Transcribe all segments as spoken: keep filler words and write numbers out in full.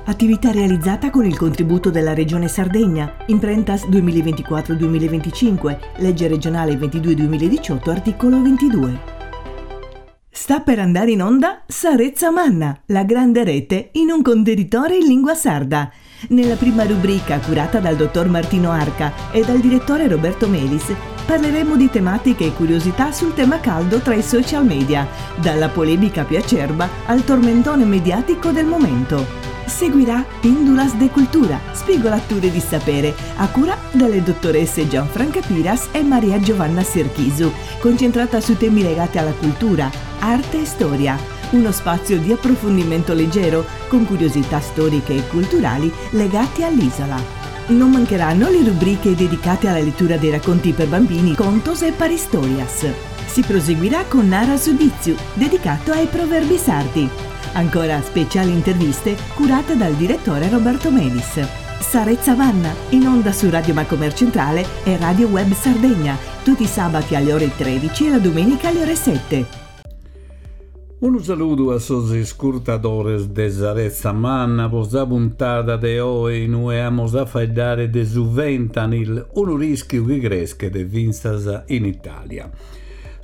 Attività realizzata con il contributo della Regione Sardegna, Imprentas duemilaventiquattro duemilaventicinque, legge regionale ventidue duemiladiciotto, articolo ventidue. Sta per andare in onda Sa Retza Manna, la grande rete in un contenitore in lingua sarda. Nella prima rubrica, curata dal dottor Martino Arca e dal direttore Roberto Melis, parleremo di tematiche e curiosità sul tema caldo tra i social media, dalla polemica più acerba al tormentone mediatico del momento. Seguirà Pindulas de Cultura, spigolature di sapere, a cura delle dottoresse Gianfranca Piras e Maria Giovanna Serchisu, concentrata su temi legati alla cultura, arte e storia. Uno spazio di approfondimento leggero, con curiosità storiche e culturali legate all'isola. Non mancheranno le rubriche dedicate alla lettura dei racconti per bambini, contos e paristorias. Si proseguirà con Nara su Ditzu, dedicato ai proverbi sardi. Ancora speciali interviste curate dal direttore Roberto Melis. Sa Retza Manna, in onda su Radio Macomer Centrale e Radio Web Sardegna, tutti i sabati alle ore tredici e la domenica alle ore sette. Unu saludu a sos iscurtadores de Sa Retza Manna po sa puntada de oe inue amos a faeddare de su fentanyl, unu rischiu chi creschet fintzas in Italia.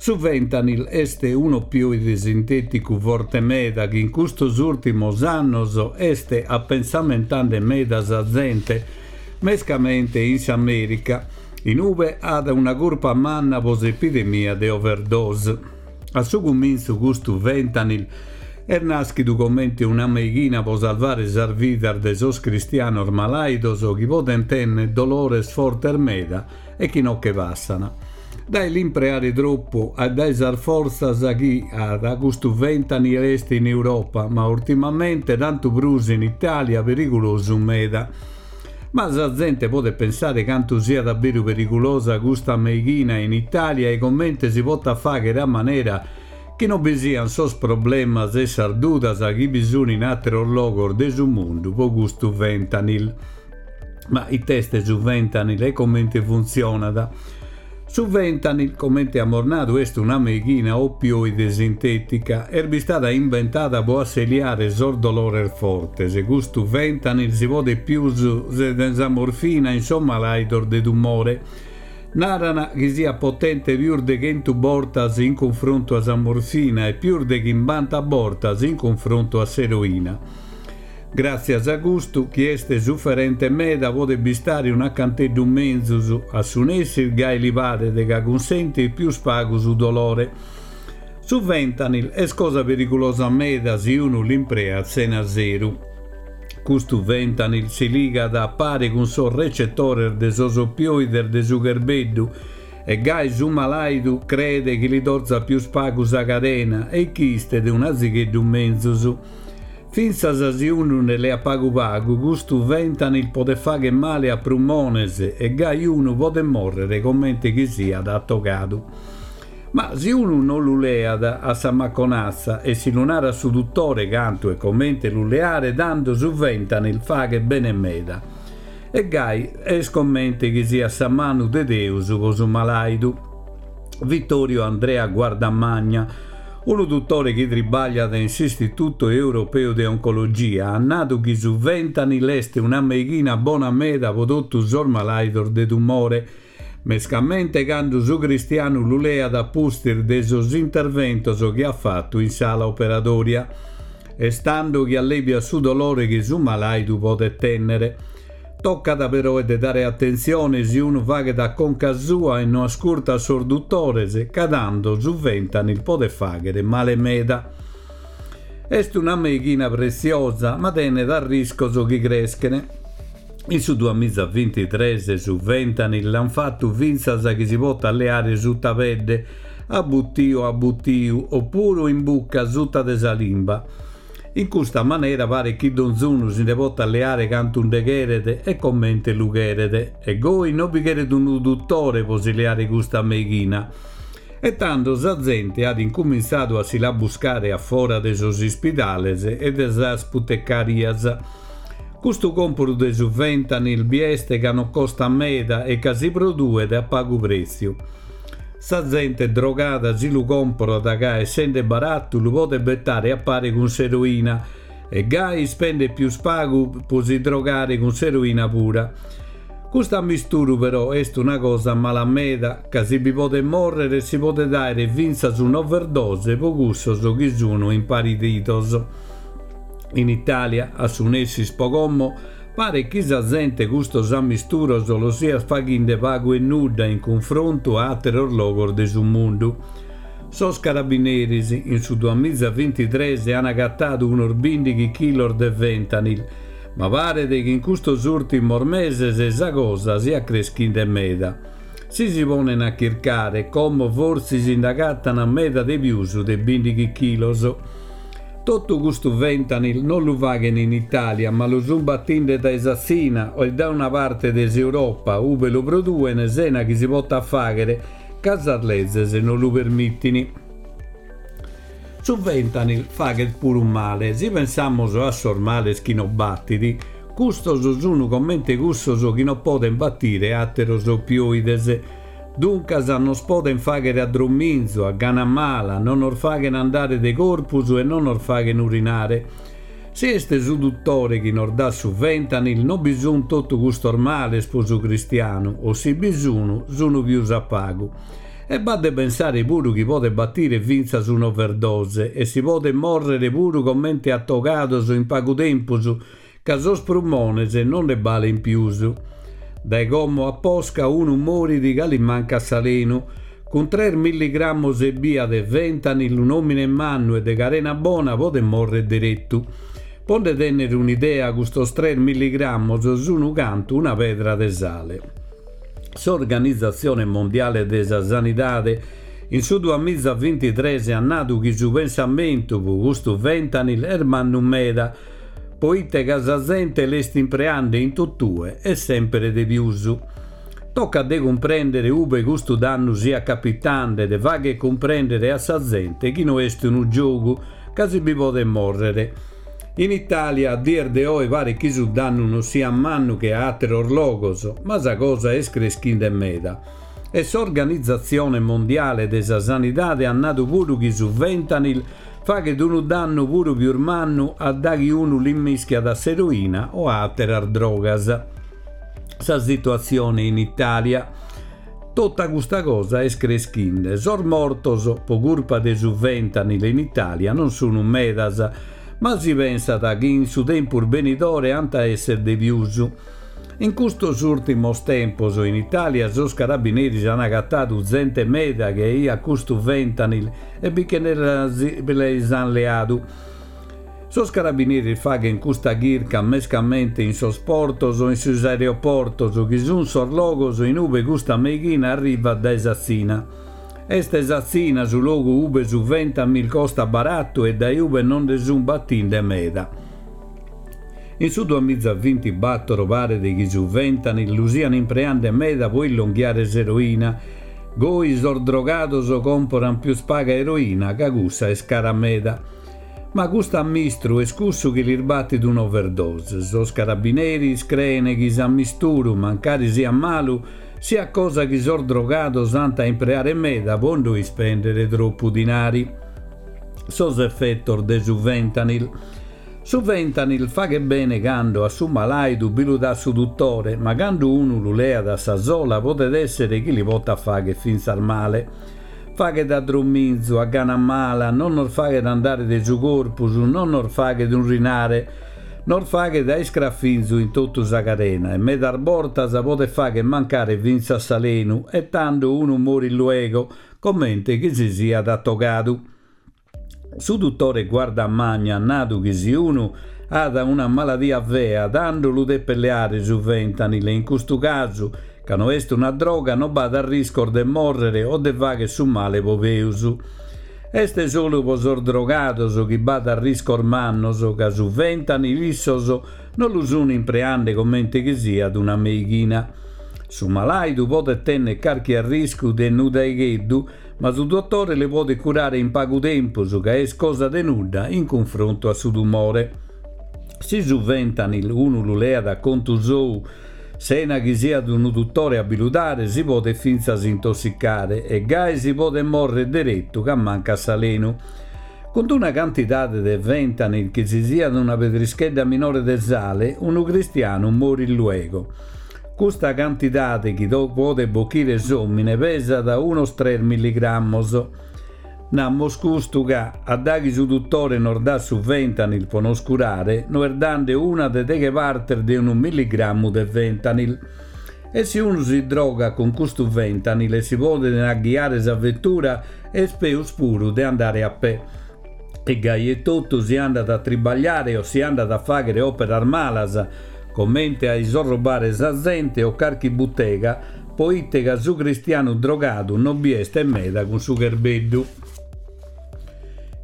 Su fentanyl est un'opioide sintèticu forte meda chi in custos ùrtimos annos est apensamentende meda sa zente, mescamente in s'Amèrica, in ube at una curpa manna po s'epidemia de overdose. A su cumintzu custu fentanyl est nàschidu comente una meighina po salvare sas vidas de sos cristianos malàidos chi podent tènnere dolores fortes meda e chi non che passant. Dae l'impreare troppu e dae sas fortzas chi at custu fentanyl est in Europa, ma ultimamente tantu prus in Italia perigulosu meda. Ma sa zente podet pensare cantu siat davveru perigulosa custa meighina in Italia e comente si potat fàghere a manera chi non bi sian sos problemas e sas dudas chi bi sun in àteros logos de su mundu po custu fentanyl. Ma ite est su fentanyl e comente funtzionat? Su fentanyl, comente amus nadu, est una meighina opioide sintètica. Est bistada inventada po asseliare sos dolores fortes. Custu fentanyl si podet pius de sa morfina in sos malàidos de tumore. Naran chi siat potente pius de chentu bortas in cunfrontu a sa morfina e pius de chimbanta bortas in cunfrontu a s'eroina. Gràtzias a custu, chi est suferente meda podet bistare un'acanteddu menzus, a su nessi gai li paret ca cunsentit pius pagu su dolore. Su fentanyl est cosa perigulosa meda si unu l'impreat sena seru. Custu fentanyl si ligat a pare cun sos recetores de sos opioides de su cherbeddu e gai su malàidu creet chi li dorzat pius pagu sa carena e chi istet un'azigheddu menzus. Fintzas si unu nde leat pagu pagu, custu fentanyl podet fàghere male a prumones e gai unu podet mòrrere comente chi siat atogadu. Ma si unu non lu leat a sa maconatza e si lu narat su dutore cantu e comente lu leare, tando su fentanyl faghet bene meda. E gai est comente chi siat sa manu de Deus po su malàidu. Vittorio Andrea Guardamagna, unu dutore chi tribagliat in s'Istituto Europeu de Oncologia, at nadu chi su fentanyl est una meighina bona meda po totu sos malàidos de tumore, mescamente cando su cristianu lu leat a pustis de sos interventos chi at fatu in sala operatoria. Est tando chi allebiat su dolore chi su malàidu podet tènnere. Tocat però de dare atentzione si unu faghet a conca sua e no ascurtat sos dutores, ca tando su fentanyl podet fàghere male meda. Est una meighina pretziosa, ma tenet arriscos chi creschen. In su duamiza bintitrès su fentanyl l'an fatu fintzas chi si potat leare sutta pedde, a butiu a butiu, oppuru in bucca sutta de sa limba. In custa manera paret chi donzunu si nde potat leare cantu nde cheret e comente lu cheret, e goi non bi cheret unu dutore po si leare custa meighina. E tando sa zente at incumintzadu a si la buscare a fora de sos ispidales e de sas putecarias. Custu còmporu de su fentanyl bi est ca non costa meda e ca si produet a pagu pretziu. Sa zente drogada si lu còmporat ca, essende baratu, lu podet betare a pare cun s'eroina E gai ispendet pius pagu pro si drogare cun s'eroina pura. Custu ammisturu però est una cosa mala meda, ca si bi podet morrere e si podet aere fintzas un'overdose pro cussos chi sunu imparentidos. In Italia, a su nessis pro como, paret chi sa zente custos ammisturos los siat faghende pagu e nudda in cunfrontu a ateros logos de su mundu. Sos carabineris in su duamizaventitres an agatadu unos bindighi chilos de fentanyl, ma paret chi in custos urtimos meses sa cosa siat creschinde meda. Si si ponen a chircare, como fortzis nd'agatan meda de pius de bindighi chilos. Totu custu fentanyl non lu faghen in Italia, ma lu sun battinde dae sa Tzina o dae una parte de s'Europa, ube lu produen sena chi si potat faghere, ca sas lezes non lu permittin. Su fentanyl faghet puru male. Si pensamos a sos males chi non battit, custos sunu comente cussos chi non poden battire ateros opioides. Duncas nos poden faghere a dromminzu, a gana mala, non nos faghen andare de corpus e non nos faghen urinare. Si est su duttore chi nos dat su fentanyl, non bi sun totu custos males pro su cristianu, o si bi sunu, sunu pius a pagu. E b'at de pensare puru chi podet battire fintzas un'overdose e si podet morrere puru comente atogados in pagu tempus, ca sos prumones non ne balen pius. Dae como a posca unu morit ca li mancat s'alenu. Cun tres milligrammos ebbia de fentanyl un'omine mannu e de carena bona podet morrere derettu. Po nde tennere un'idea, custos tres milligrammos sunu cantu una pedra de sale. S'Organizatzione Mondiale de sa Sanidade in su duamizaventitres at nadu chi su pensamentu pro custu fentanyl est mannu meda, poite ca sa zente l'est impreande in totue e sempre de pius. Tocat de cumprendere ube custu dannu siat capitande, de fagher cumprendere a sa zente chi no est unu giogu, ca si bi podet morrere. In Italia, a dies de oe paret chi su dannu non siat mannu che a ateros logos, ma sa cosa est creschinde meda. E s'Organizatzione Mondiale de sa Sanidade at nadu puru chi su fentanyl faghet unu dannu puru pius mannu a daghi unu l'immischiat a s'eroina o a ateras drogas. Sa situatzione in Italia. Tota custa cosa est creschinde. Sos mortos pro curpa de su fentanyl in Italia non sunu medas, ma si pensat chi in su tempus benidore ant a essere de pius. In custos urtimos tempos in Italia sos carabineris an agatadu zente meda chi aiat custu fentanyl e bi che ne an leadu. Sos carabineris faghen custa chirca mescamente in sos portos o in sos aeroportos, chi sun sos logos in ube custa meighina arrivat dae sa Tzina. Est sa Tzina su logu ube su fentanyl costa barattu e dae ube non nde sun battinde meda. In su duamizavintibatoro paret chi su fentanyl lu sian impreande meda pro illonghiare s'eroina. Goi sos drogados comporan pius paga eroina, ca cussa est cara meda. Ma custu ammisturu est cussu chi lis battit un'overdose. Sos carabineris creen chi s'ammisturu, mancari siat malu, siat cosa chi sos drogados ant a impreare meda pro no ispendere troppu dinari. Sos effettos de su fentanyl. Su fentanyl faghet bene cando a su malaidu bi lu dat su duttore, ma cando unu lu leat a sa sola podet essere chi li potat fagher fintzas male. Faghet a dromminzu, a gana mala, non nos faghet andare de su corpus, non nos faghet urinare, nos faghet a iscrafinzu in totu sa carena e medas bortas podet fagher mancare fintzas s'alenu e tando unu morit luego, comente chi si siat atogadu. Su duttore Guardamagna at nadu chi si unu at una maladia fea, tando lu depet leare su fentanyl e in custu casu, ca no est una droga, non b'at arriscos de morrere o de fagher su male po peus. Est solu pro sos drogados chi b'at arriscos mannos, ca su fentanyl issos non lu sun impreande comente chi siat una meighina. Su malaidu podet tenner carchi arriscu de nudaigheddu, ma su dottore le podet curare in pagu tempus, ca est cosa de nudda in cunfrontu a su tumore. Si su fentanyl unu lu leat a contu sou, sena chi siat unu duttore a bi lu dare, si podet fintzas intossicare e gai si podet morrere derettu ca mancat s'alenu. Cun una cantidade de fentanyl chi si siat una pedrischedda minore de sale, unu cristianu morit luego. Custa cantidade chi podet bochire s'omine pesat unos tres milligrammos. Namos custu ca, a daghi su duttore nos dat su fentanyl po nos curare, no est dande una de deghe partes de unu milligrammu de fentanyl. E si unu si droga cun custu fentanyl e si ponet a ghiare sa vettura, est peus puru de andare a pè. E gai e totu si andat a tribagliare o si andat a faghere operas malas, comente a isorrobare sa zente o carchi buttega, poite ca su cristianu drogadu non bi est meda cun su cherbeddu.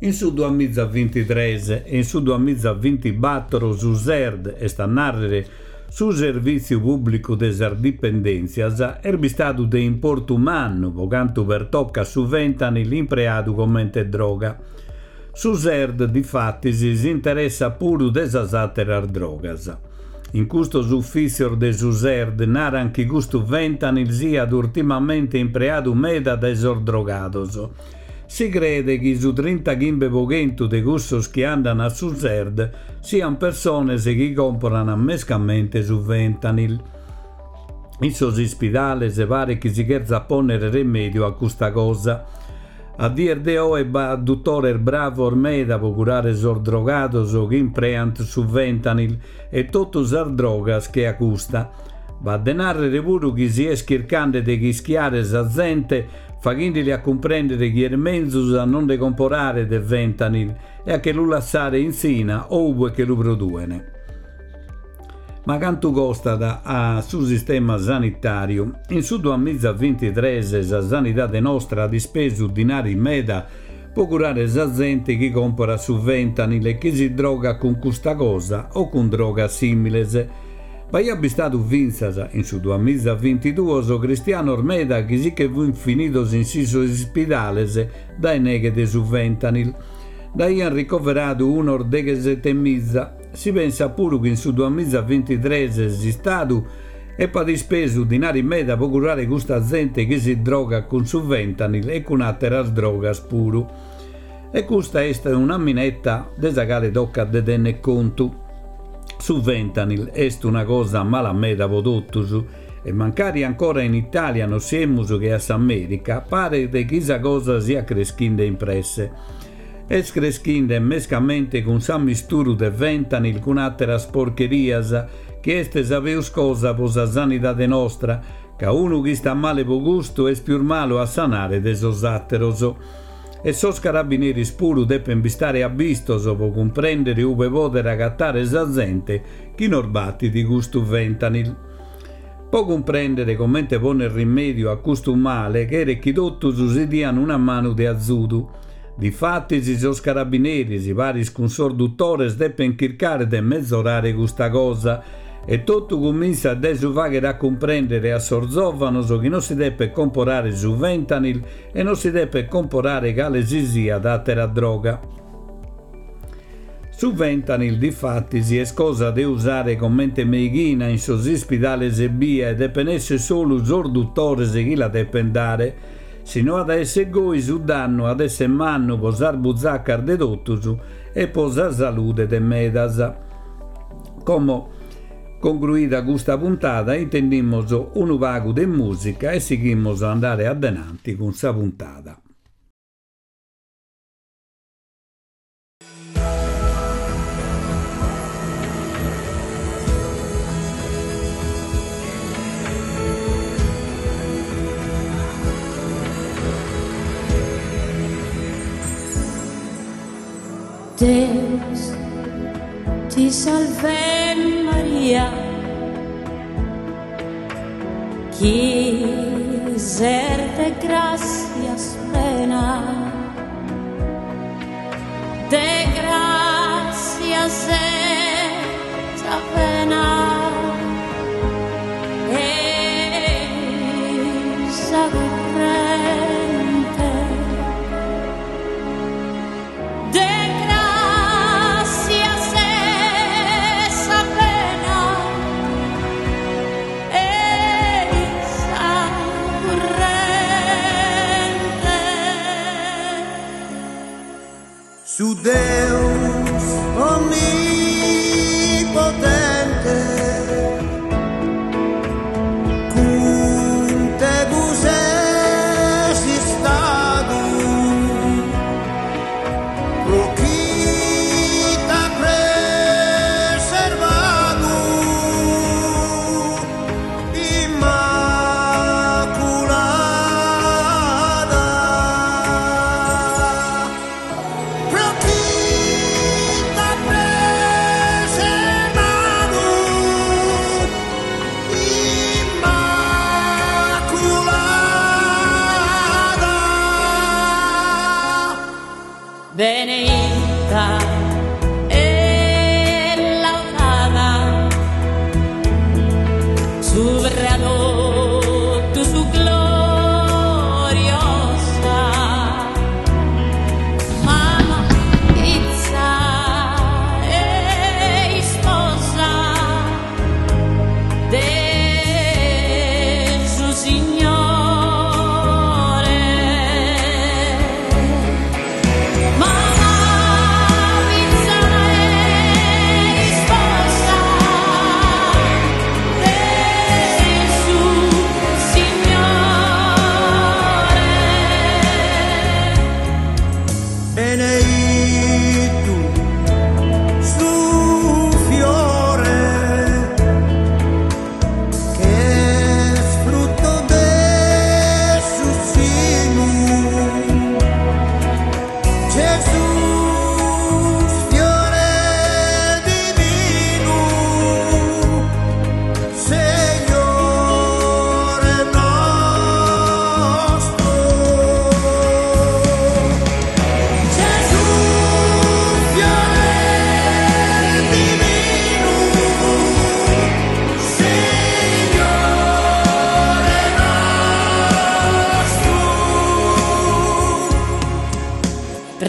In su duamizavintitres e in su duamizavintibatoro su S E R D, est a narrere su Servìtziu Pùblicu de sas Dipendèntzias, est bistadu de importu mannu po cantu pertocat su fentanyl impreadu comente droga. Su S E R D, difatis, si interessat puru de sas àteras drogas. In custos ufìtzios de su S E R D naran chi custu fentanyl siat urtimamente impreadu meda dae sos drogados. Si crede chi su trintachimbe po chentu de cussos chi andan a su S E R D sian persones chi comporan mescamente su fentanyl. In sos ispidales paret chi si cherzat ponnere remediu a custa cosa. A dies de oe b'at duttores bravos meda po curare sos drogados chi impreant su fentanyl e totu sas drogas che a custa. B'at de narrere puru chi si est chircande de chischiare sa zente faghindeli a cumprendere chi est menzus a non de comporare de fentanyl e a che lu lassare in Tzina o ube che lu produene. Ma cantu costat a su sistema sanitariu? In su duamizavintitres sa sanidade nostra at ispesu dinari meda po curare sa zente chi compora su fentanyl e chi si droga cun custa cosa o cun drogas similes. B'aiat bistadu fintzas, in su duamizavintiduos, cristianos meda chi si che funt finidos in sos ispidales dae neghe de su fentanyl. Nd'aiant ricoveradu unos deghesetemiza. Si pensa puru chi in su duamizavintitres s'Istadu epat ispesu dinari meda po curare custa zente chi si droga cun su fentanyl e cun àteras drogas puru. E custa est una minetta de sa cale tocat de tenner contu. Su fentanyl est una cosa mala meda po totus e mancari ancora in Italia non siemus che a s'America, paret chi sa cosa siat creschinde in presse. Est creschinde mescamente cun s'ammisturu de fentanyl cun àteras porcherias, chi est sa peus cosa po sa sanidade nostra, ca unu chi sta male po gustu est pius malu a sanare de sos àteros. E sos carabineris puru depen bistare abbistos po cumprendere ube poder agattare sa zente chi nos battit custu fentanyl. Po cumprendere comente ponner rimediu a custu male cheret chi totus si dian una manu de azudu. Difatis sos carabineris, paris cun sos duttores, depen chircare de mezzorare custa cosa e totu comintzat dae su faghere a cumprendere a sos zovanos chi non si depet comporare su fentanyl e non si depet comporare cale si siat àtera droga. Su fentanyl, difatis, est cosa de usare comente meighina in sos ispidales ebbia e depen essere solu sos duttores chi la depen dare. Si no at a essere goi, su dannu at essere mannu po sas buzacas de totus e po sa salude de medas. Como, concluida custa puntada, intendimos unu pagu de musica e sighimos a andare adenanti cun sa puntada. Deus ti salve Maria, chi ser de gracias plena, de gracias esa pena, esa corrente de gracias esa pena, esa corrente. Su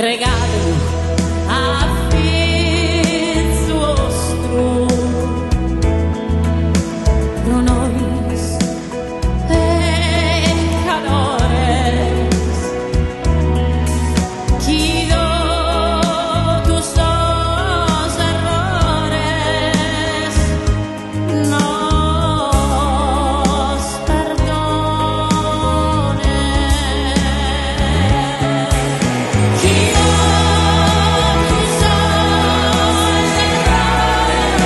Intregadu a fizu 'ostru pro nois peccadores, chi totu sos errores nos perdonet. Chi totu sos errores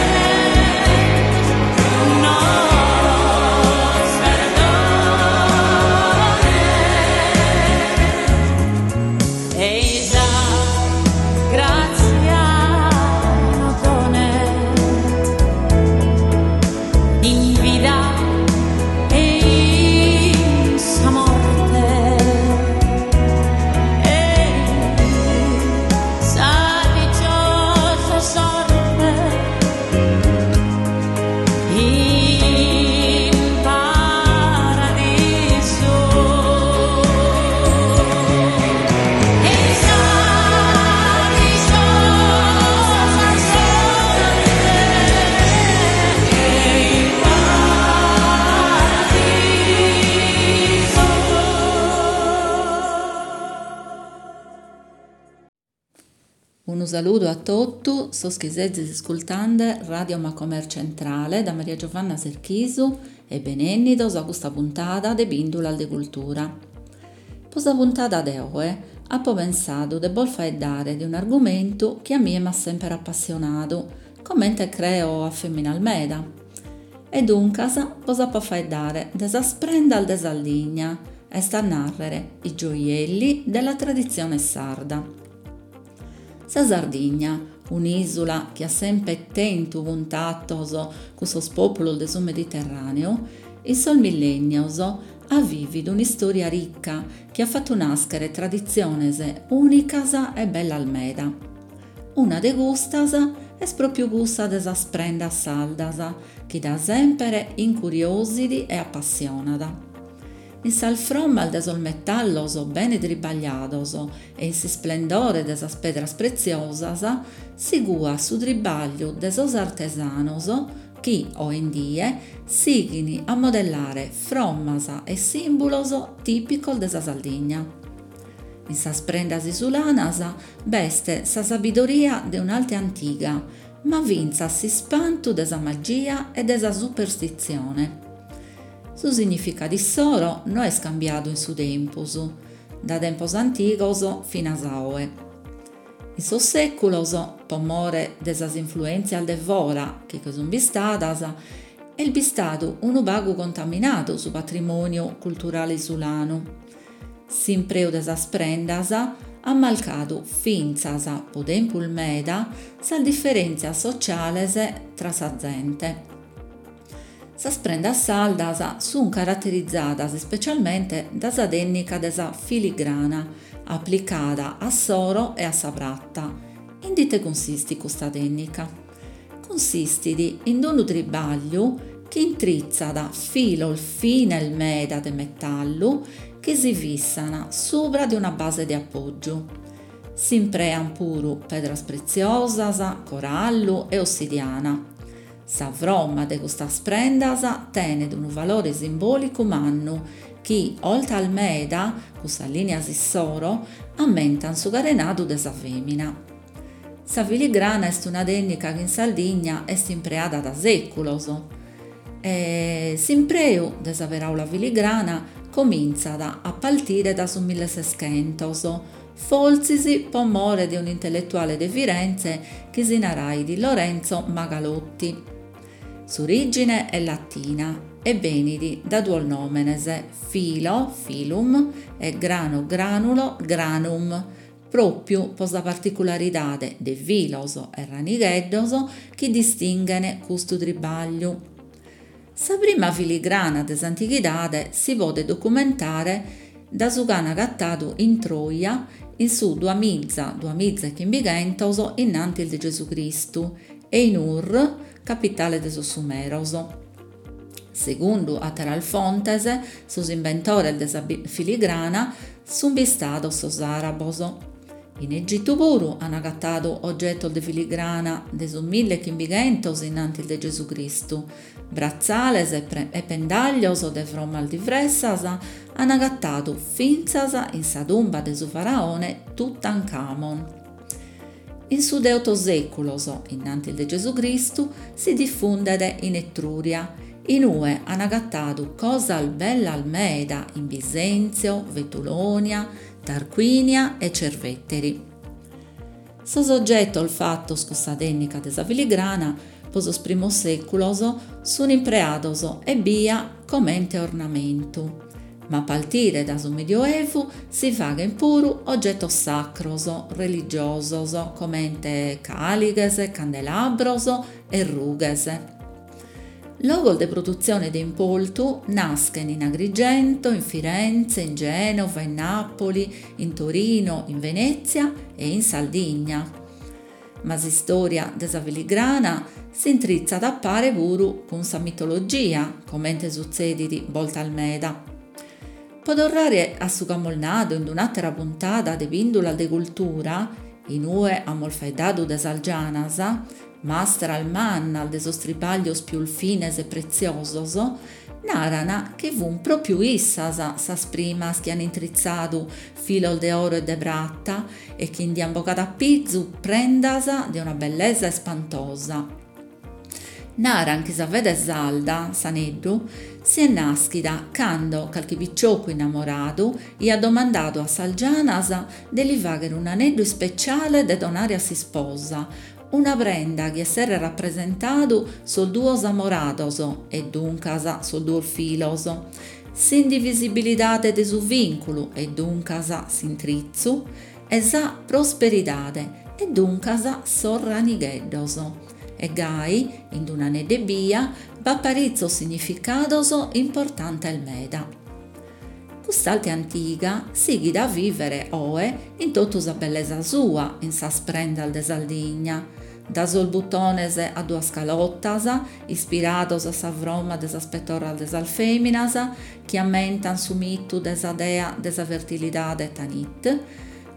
nos perdonet. E sa grazia nos donet in vida e in sa morte, e sa diciosa sorte in paradisu. E sa diciosa sorte in paradisu. Unu saludu a totu sos chi sezis iscultande Radio Macomer Centrale da Maria Giovanna Serchisu e benennidos a custa puntada de Pìndulas de Cultura. Po sa puntada de oe apo pensadu de bos faeddare de un'argumentu chi a mie m'at semper appassionadu, comente creo a feminas meda. E duncas bos apo a faeddare de sas prendas de Sardigna, est a nàrrere i gioielli della tradizione sarda. Sa Sardigna, un'ìsula chi at semper tentu cuntatos cun sos pòpulos de su Mediterràneu, in sos millènnios at vìvidu un'istòria rica chi at fatu nàschere traditziones ùnicas e bellas meda. Una de custas est pròpiu cussa de sas prendas sardas, chi da semper incuriosit e appassionat. In sas frommas de sos metallos bene tribagliados e in s'isplendore de sas pedras pretziosas si cuat su tribagliu de sos artesanos chi, oe in die, sighin a modellare frommas e sìmbulos tìpicos de sa Sardigna. In sas prendas isulanas b'est sa sabidoria de un'arte antiga, ma fintzas s'ispantu de sa magia e de sa superstitzione. Su significadu issoro no est cambiadu in su tempus, da tempos antigos finas a oe. In sos sèculos, po more de sas influèntzias de fora chi che sunt bistadas, est bistadu unu pagu contaminadu su patrimòniu culturale isulanu. S'impreu de sas prendas at marcadu fintzas, po tempus meda, sas diferèntzias sotziales tra sa zente. Sas prendas sardas sunt caraterizadas ispecialmente da sa tècnica de sa filigrana, aplicada a s'oro e a sa prata. In ite cunsistit custa tècnica? Cunsistit in unu tribagliu chi intritzat filos fines meda de metallu chi si fissant subra de una base de apògiu. S'impreant puru pedras pretziosas, corallu e ossidiana. Sa fromma de custas prendas tenet unu valore simbòlicu mannu chi, 'oltas meda, cun sas lìnias issoro, ammentant su carenadu de sa fèmina. Sa filigrana est una tècnica chi in Sardigna est impreada da sèculos. E s'impreu de sa peràula filigrana comintzat a partire da su milleseschentos, fortzis po more de un'intelletuale de Firenze chi si narait Lorenzo Magalotti. S'orìgine est latina e benit da duos nòmenes, filo, filum, e grano, granulo, granum, pròpiu po sa particularidade de filos e ranigheddos chi distinghen custu tribagliu. Sa prima filigrana de s'antighidade si podet documentare da su ch'an agatadu in Troia in su duamiza, duamiza e chimbighentos innantis de Gesù Cristu e in Ur, capitale de sos Sumeros. Segundu àteras fontes, sos imbentores de sa filigrana sunt bistados sos àrabos. In Egitu puru an agatadu ogetos de filigrana de su milli e chimbighentos in antis de Gesù Cristu, bratzales e pendàllios de frommas diversas an agatadu fintzas in sa tumba de su faraone Tutankhamon. In su de oto sèculos in antis de Gesù Cristu si difundet in Etrùria, in ue an agatadu cosas bellas meda in Bisenzio, Vetulonia, Tarquinia e Cerveteri. Sos ogetos fatos cun sa tènnica de sa filigrana pro sos primos sèculos sunt impreados ebbia comente ornamentu, ma a partire dae su Medioevu si faghent puru ogetos sacros, religiosos, comente càlighes, candelabros e rughes. Logos de produtzione de importu naschent in Agrigento, in Firenze, in Gènova, in Nàpoli, in Torino, in Venètzia e in Sardigna. Ma s'istòria de sa filigrana s'intritzat a pare puru cun sa mitologia, comente sutzedit bortas meda. Po torrare a su chi amus nadu in un'àtera puntada de Pìndulas de Cultura, in ue amus faeddadu de sas gianas, mastras mannas de sos tribàllios pius fines e pretziosos, naran chi fun pròpiu issas sas primas chi an intritzadu filos de oro e de prata e chi nd'an bogadu a pizu prendas de una bellesa ispantosa. Naran chi sa fede sarda, s'aneddu, siet nàschida cando carchi piciocu innamoradu aiat domandadu a sas gianas de li fàghere un'aneddu ispeciale de donare a s'isposa, una prenda chi esseret rapresentadu sos duos amorados e duncas sos duos filos, s'indivisibilidade de su vìnculu e duncas s'intritzu, e sa prosperidade e duncas sos ranigheddos. E gai, in un'aneddu ebbia, b'at paritzos significados importantes meda. Cust'arte antiga sighit a vìvere oe in totu sa bellesa sua in sas prendas de Sardigna, da sos butones a duas calotas, ispirados a sa froma de sas petorras de sas fèminas, chi ammentan su mitu de sa dea de sa fertilidade Tanit,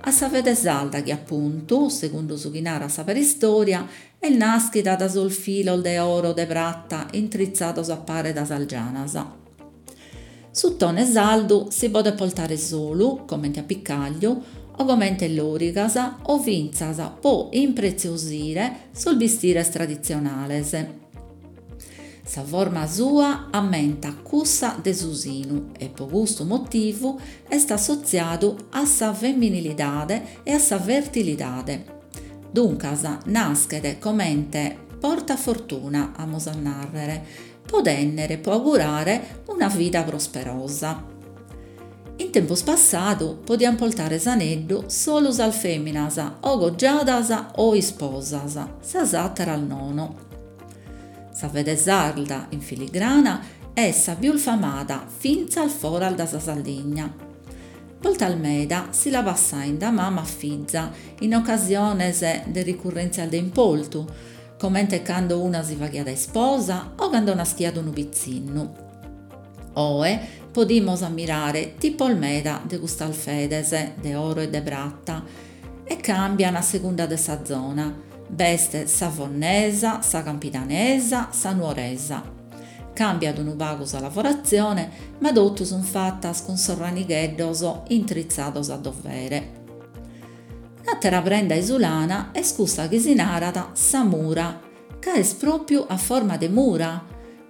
a sa fede sarda chi apuntu, segundu su chi narat sa paristòria, est nàschida da sos filos de oro de prata intritzados a pare da sas gianas. Su tone sardu si podet portare solu, comente apicàgliu, o comente lòrigas o fintzas po impretziosire sos bistires traditzionales. Sa forma sua ammentat cussa de su sinu e po custu motivu est assotziadu a sa femminilidade e a sa fertilidade. Duncas naschet comente porta fortuna, amus a nàrrere, po tènnere, po augurare una vida prosperosa. In tempus passadu podiant portare s'aneddu solu sas fèminas o cogiadas o isposas, sas àteras nono. Sa fede sarda in filigrana est sa pius famada fintzas foras da sa Sardigna. Bortas meda si la passain da mama a fiza in ocasiones de ricurrèntzias de importu, comente cando una si faghiat a isposa o cando naschiat unu pitzinnu. Oe podimus ammirare tipos meda de custas fedes de oro e de prata e càmbian a segunda de sa zona. B'est sa fonnesa, sa campidanesa, sa nuoresa. Càmbiat unu pagu sa lavoratzione, ma totu sunt fatas cun sos ranigheddos intritzados a dovere. Un'àtera prenda isulana est cussa chi si narat sa mura, ca est pròpiu a forma de mura,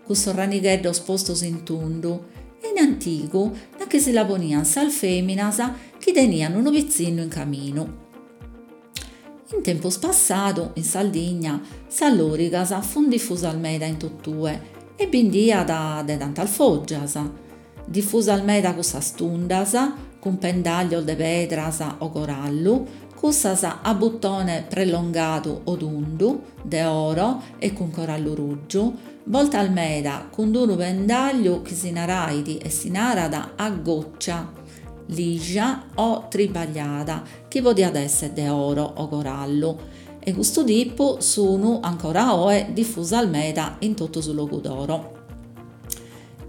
cun sos ranigheddos postos in tundu, e in antigu nachi si la poniant sas fèminas chi teniant unu pitzinnu in caminu. In tempus passadu, in Sardigna, sas lòrigas funt difusas meda in totue e bi nd'iat de tantas fògias. Difusas meda cussas tundas, cun pendàllios de pedras o corallu, cussas a butone prellongadu o tundu, de oro e cun corallu rùgiu, bortas meda cun unu pendàlliu chi si narait e si narat a goccia, lija o tribagliada, chi podiat èssere de oro o corallu, e custu tipu sun ancora oe difusas meda in totu su Logudoro.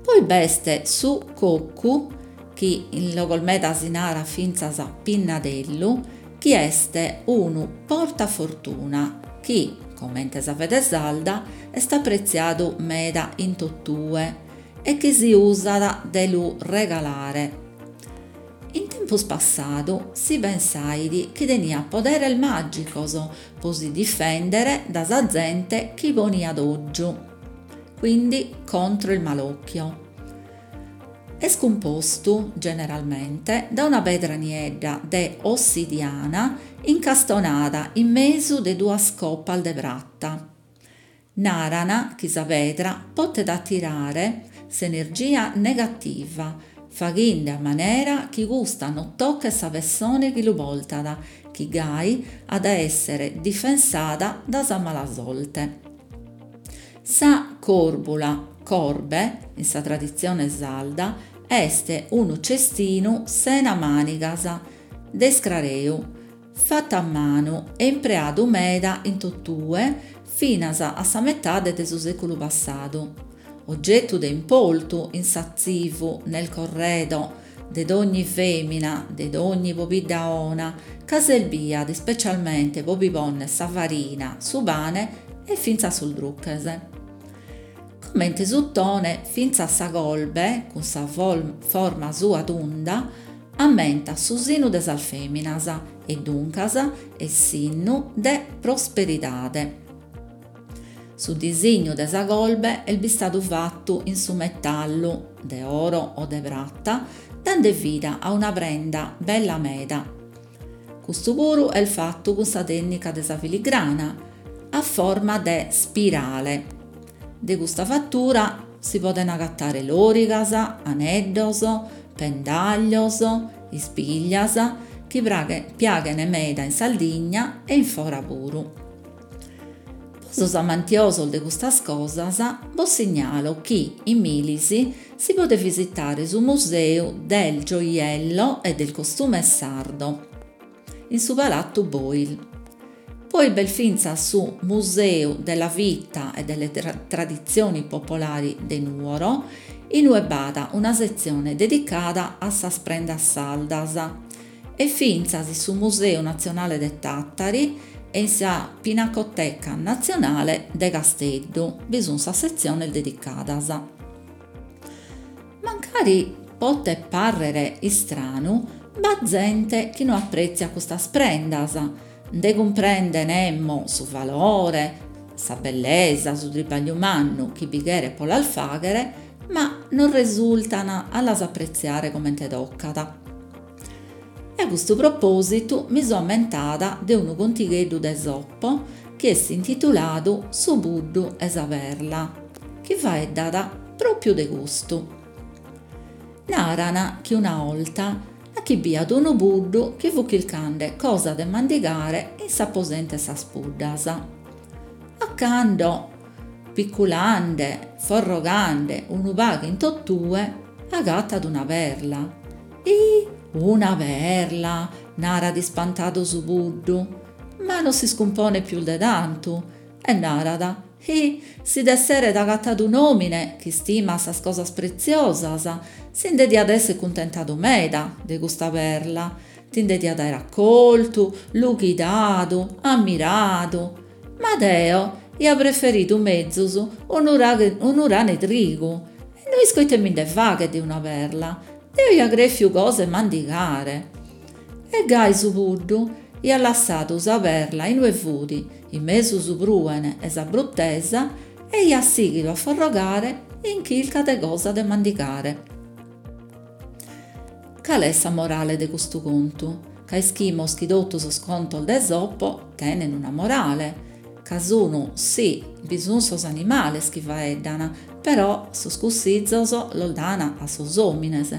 Poi b'est su cocu, chi in logos meda si narat fintzas pinnadellu, chi est unu portafortuna chi, comente sa fede sarda, est apretziadu meda in totue e chi si usat de lu regalare. In tempus passadu si pensait chi teniat poderes màgicos pro si difèndere dae sa zente chi poniat ògiu, quindi contro il malocchio. Est cumpostu, generalmente, dae una pedra niedda de ossidiana incastonada in mesu de duas copas de prata. Naran chi sa pedra potet atirare s'energia negativa, faghende a manera chi custa non tochet sa pessone chi lu portat, chi gai at a èssere difensada dae sa mala sorte. Sa còrbula, corbe, in sa traditzione sarda, est unu cestinu sena mànigas, de iscrareu, fatu a manu e impreadu meda in totue finas a sa metade de su sèculu passadu. Ogetu de importu in s'atzivu, nel corredo, de dogni fèmina, de dogni pobidda 'ona, ca serbiat ispecialmente pro bi pònnere sa farina, su pane e fintzas sos druches. Comente su tone, fintzas sa corbe, cun sa forma sua tunda, ammentat su sinu de sas fèminas e duncas est sinnu de prosperidade. Su disignu de sa corbe est bistadu fatu in su metallu, de oro o de prata, dande vida a una prenda bella meda. Custu puru est fatu cun sa tènnica de sa filigrana, a forma de spirale. De custa fatura si podent agatare lòrigas, aneddos, pendàglios, ispiglias, chi piaghent meda in Sardigna e in fora puru. Po sos amantiosos de custas cosas bos signalo chi in Milis si podet visitare su Museu del Gioiello e del Costume Sardo, in su Palatu Boyl. Poi b'est fintzas su Museu della Vita e delle Tradizioni Popolari de Nuoro, in ue b'at una setzione dedicada a sas prendas sardas, e fintzas in su Museu Natzionale de Tàtari e in sa Pinacoteca Natzionale de Casteddu bi sunt sas setziones dedicadas. Mancari potet pàrrere istranu, b'at zente chi no aprètziat custas prendas, nde cumprendet emmo su valore, sa bellesa, su tribagliu mannu chi bi cheret pro las fàghere, ma non resurtan a las apretziare comente tocat. E a custu propòsitu mi so ammentada de unu contigheddu de Esopo chi est intituladu Su puddu e sa perla, chi faeddat pròpiu de custu. Naran chi una 'olta chi b'iat unu puddu chi fut chircande cosa de mandigare in s'aposentu 'e sas puddas. A cando, picculande, forrogande unu pagu in totue, agatat una perla. Ih, una perla! Narat ispantadu su puddu, ma non s'iscumponet pius de tantu e narat, Ih, si dd'esseret agatadu un'òmine chi istimat sas cosas pretziosas, si nde diat èssere cuntentadu meda de custa perla, ti nde diat àere acoltu, lughidadu, ammiradu. Ma deo ia preferidu mezus unu unu ranu 'e trigu e no isco ite mi nde faghet de una perla, deo ia crèfiu cosa 'e mandigare. E gai su puddu iat lassadu sa perla inue fut, in mesu su prùene e sa brutesa, e iat sighidu a forrogare in chirca de cosa de mandigare. Cale est sa morale de custu contu? Ca ischimos chi totu sos contos de Esopo tenen una morale, ca sun, si, bi sun sos animales chi faeddan, però sos cussizos los dan a sos òmines.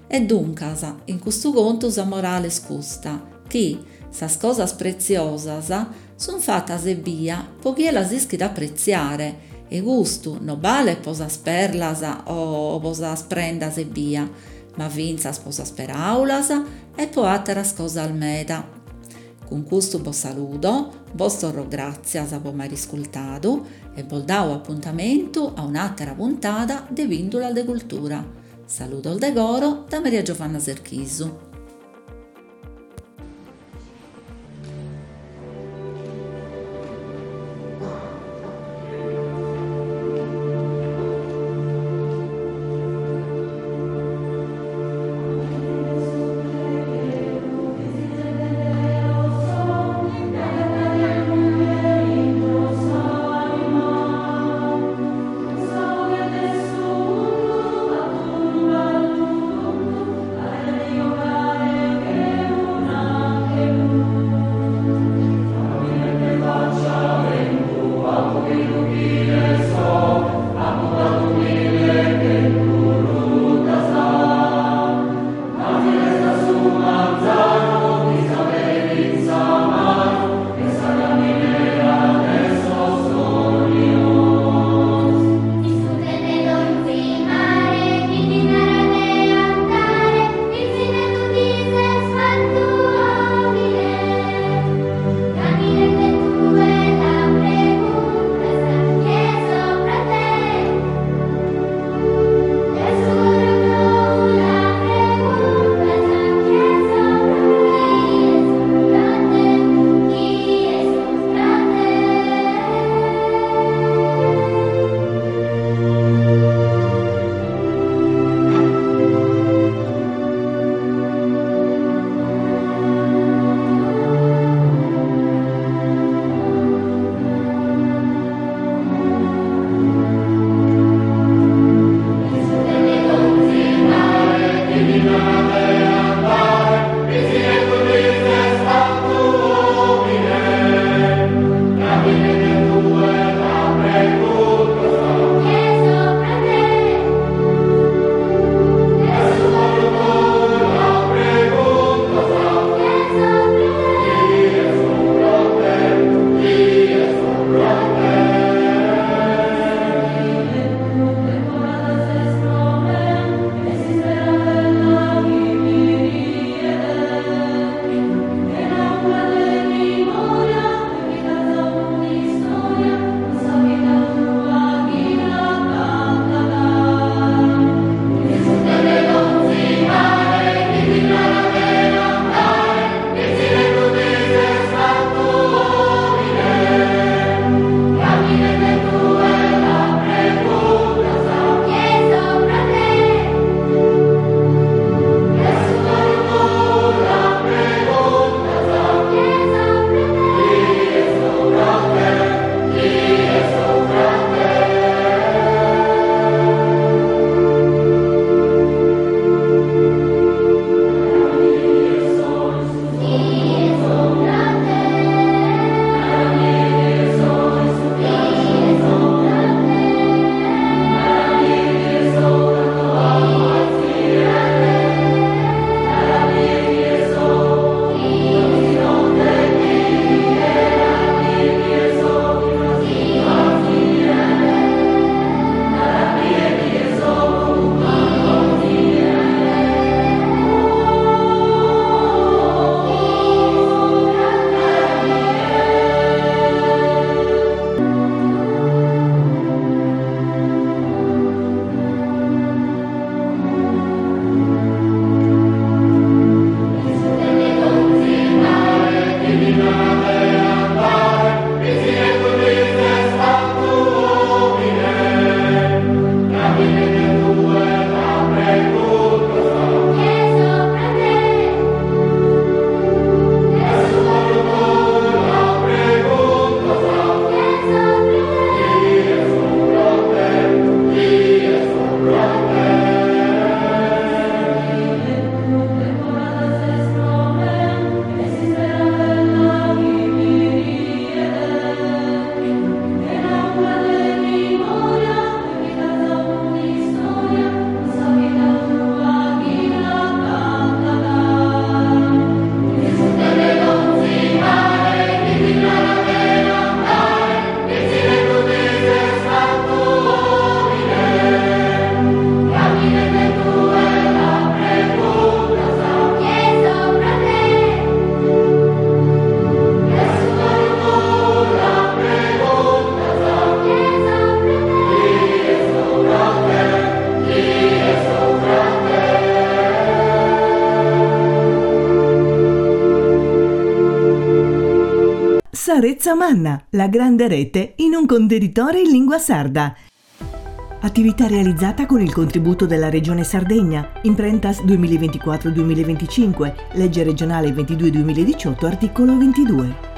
E duncas, in custu contu sa morale est custa, chi sas cosas pretziosas sun fatas ebbia po chie las ischit apretziare, e custu no balet po sas perlas o po sas prendas ebbia, ma fintzas po sas peraulas e po àteras cosas meda. Cun custu bos saludo, bos torro gràtzias po m'aer iscultadu e bos dao apuntamentu a un'àtera puntada de Pìndulas de Cultura. Saludos de coro da Maria Giovanna Serchisu. Sa Retza Manna, la grande rete in un contenitore in lingua sarda. Attività realizzata con il contributo della Regione Sardegna, Imprentas duemilaventiquattro duemilaventicinque, legge regionale ventidue duemiladiciotto, articolo ventidue.